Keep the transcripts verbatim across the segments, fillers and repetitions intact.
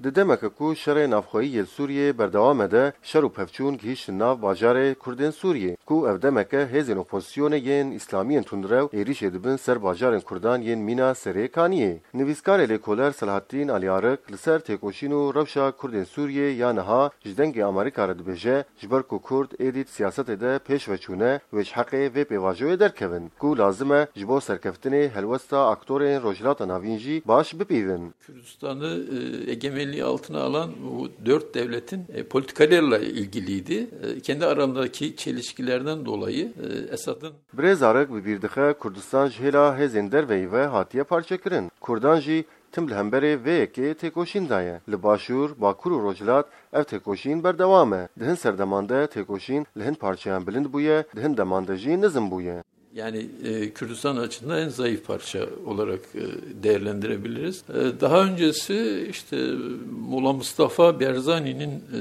Di demeke ku şerê navxweyî yê li Sûriyê berdewam e de, şer û pevçûn gihîştin nav bajarê Kurdên Sûriyê, ku ev demeke hêzên opozisyonê yên îslamiyên tundrew êrîşê dibin ser bajarên Kurdan yên mîna Serê Kaniyê. Nivîskarê lêkoler Selahattîn Alîarik li ser têkoşîn û rewşa Kurdên Sûriyê ya niha ji Dengê Amerîka re dibêje, ji ber ku Kurd êdî di siyasetê de pêş ve çûne, wê ji heqê vê pêvajoyê derkevin, ku lazim e ji bo serkeftinê helwesta aktorên Rojhilata Navîn jî baş bipîvin. Kürdistan'ı e, egemenliği altına alan bu dört devletin e, politikalarıyla ilgiliydi. E, kendi aralarındaki çelişkilerden dolayı e, Esad'ın Birêz Arik bi bîr dixe Kurdistan ji hêla hêzên derveyî ve hatiye parçekirin. Kurdan jî tim li hemberê vê yekê têkoşîn daye. Li Başûr, Bakur û Rojhilat ev têkoşîn berdewam e. Di hin serdeman de têkoşîn li hin parçeyan bilind bûye, di hin deman de jî nizm bûye. Yani e, Kürdistan açısından en zayıf parça olarak e, değerlendirebiliriz. E, daha öncesi işte Mola Mustafa Berzani'nin e,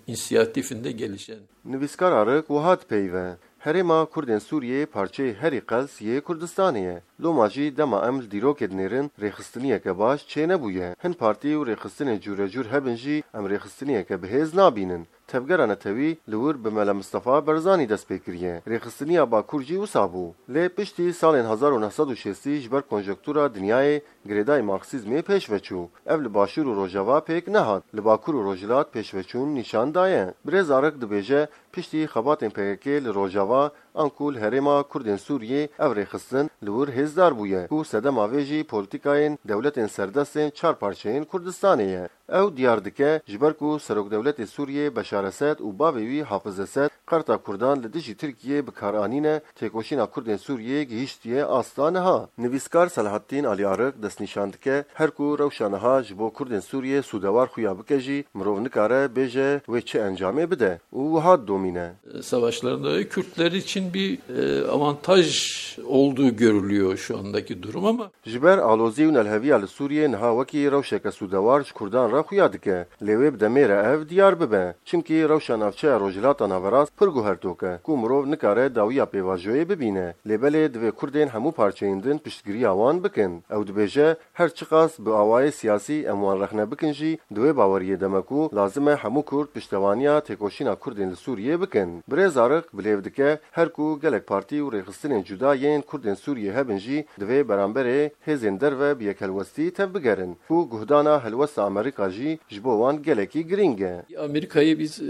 inisiyatifinde gelişen Nivîskar Arik wiha dipeyive, Herêma Kurdên Sûriyê parçeyê herî qels yê Kurdistanê ye. Loma jî dema em li dîrokê dinêrin, rêxistiniyeke baş çênebûye. Hin partî û rêxistinên cûrecûr hebin jî em rêxistiniyeke bi hêz nabînin. Tevgera netewî li wir bi Mele Mistefa Berzanî dest pê kiriye. Rêxistiniya Bakur jî wisa bû. Lê piştî salên hezar û neh sed û şêstî ji ber konjonktura dinyayê girêdayî Marksîzmê pêş ve çû. Ev li Başûr û Rojava pêk nehat. Li Bakur û Rojhilat pêşveçûn nîşan daye. Birêz Arik dibêje, piştî xebatên P K K li Rojava, anku li herêma Kurdên Sûriyê ev rêxistin li wir hêzdar bûye, ku sedema vê jî polîtîkayên dewletên serdestên çar parçeyên Kurdistanê ye. Ew diyar dike, ji ber ku Serokdewletê Sûriyê Beşar Esed û bavê wî Hafiz Esed qerta Kurdan li dijî Tirkiyê bi kar anîne, têkoşîna Kurdên Sûriyê gihîştiye asta niha. Nivîskar Selahattîn Alîarik destnîşan dike, her ku rewşa niha ji bo Kurdên Sûriyê sûdewar xuya bike jî, mirov nikare bêje wê çi encamê bide û wiha didomîne. Savaşlarında Kürtler için bir e, avantaj olduğu görülüyor şu andaki durum ama Ji ber alozî û nelheviya li Sûriyê niha wekî rewşeke sûdewar ji Kurdan re xuya dike. Lê wê bi demê re ev diyar bibe. Çimkî rewşa navçeya Rojhilata Naverast pir guhertok e, ku mirov nikare dawiya pêvajoyê bibîne. Lê belê divê Kurdên hemû parçeyên din piştgiriya wan bikin. Ew dibêje, her çiqas bi awayê siyasî em wan rexne bikin jî, di wê baweriyê de me ku lazim e hemû Kurd piştevaniya têkoşîna Kurdên li Sûriyê bikin. Birêz Arik bilêv dike, her ku gelek partî û rêxistinên cuda yên Kurdên Sûriyê hebin jî, divê beramberê hêzên derve bi yekhelwestî tevbigerin, ku guhdana helwesta Amerîka jî ji bo wan gelekî girîng e. Amerika'yı biz e,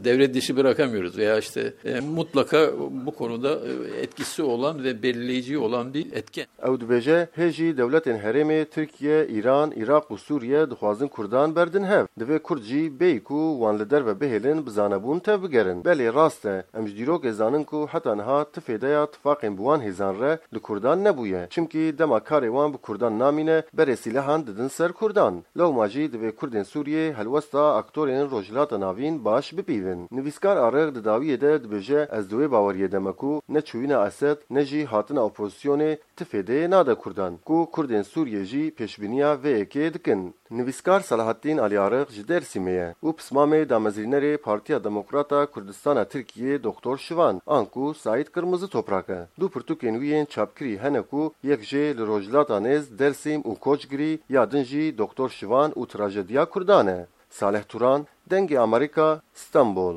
devre dışı bırakamıyoruz veya işte e, mutlaka bu konuda e, etkisi olan ve belirleyici olan bir etken. Ew dibêje, hê jî dewletên herêmê Tirkiye, Îran, Iraq û Sûriye dixwazin Kurdan berdin hev. Divê Kurd jî bêyî ku wan li derve bihêlin, bi zanebûn tevbigerin. Belê rast e, em ji dîrokê zanin ku heta niha ti fêdeya tifaqên bi wan hêzan re li Kurdan nebûye. Çimkî dema karê wan bi Kurdan namîne, berê sîlehan didin ser Kurdan. Lewma jî divê Kurdên Sûriyê helwesta aktorên Rojhilata Navîn baş bipîvin. Nivîskar Arik di dawiyê de dibêje, ez di wê baweriyê de me ku ne çûyîna Esed ne jî hatina opozisyonê ti fêdeyê nade Kurdan, ku Kurdên Sûriyê jî pêşbîniya vê yekê dikin. Nivîskar Selahattîn Alîarik ji Dêrsimê ye û pismamê damezrînerê Partiya Demokrata Kurdistana Tirkiyê Doktor Şivan, anku Saîd Kırmızı Toprak e. Du pirtûkên wî yên çapkirî hene ku yek jê li Rojhilata Nêz, Dêrsim û Koçgirî, ya din jî Doktor Şivan û Trajediya Kurdan e. Salih Turan, Dengê Amerîka, Stenbol.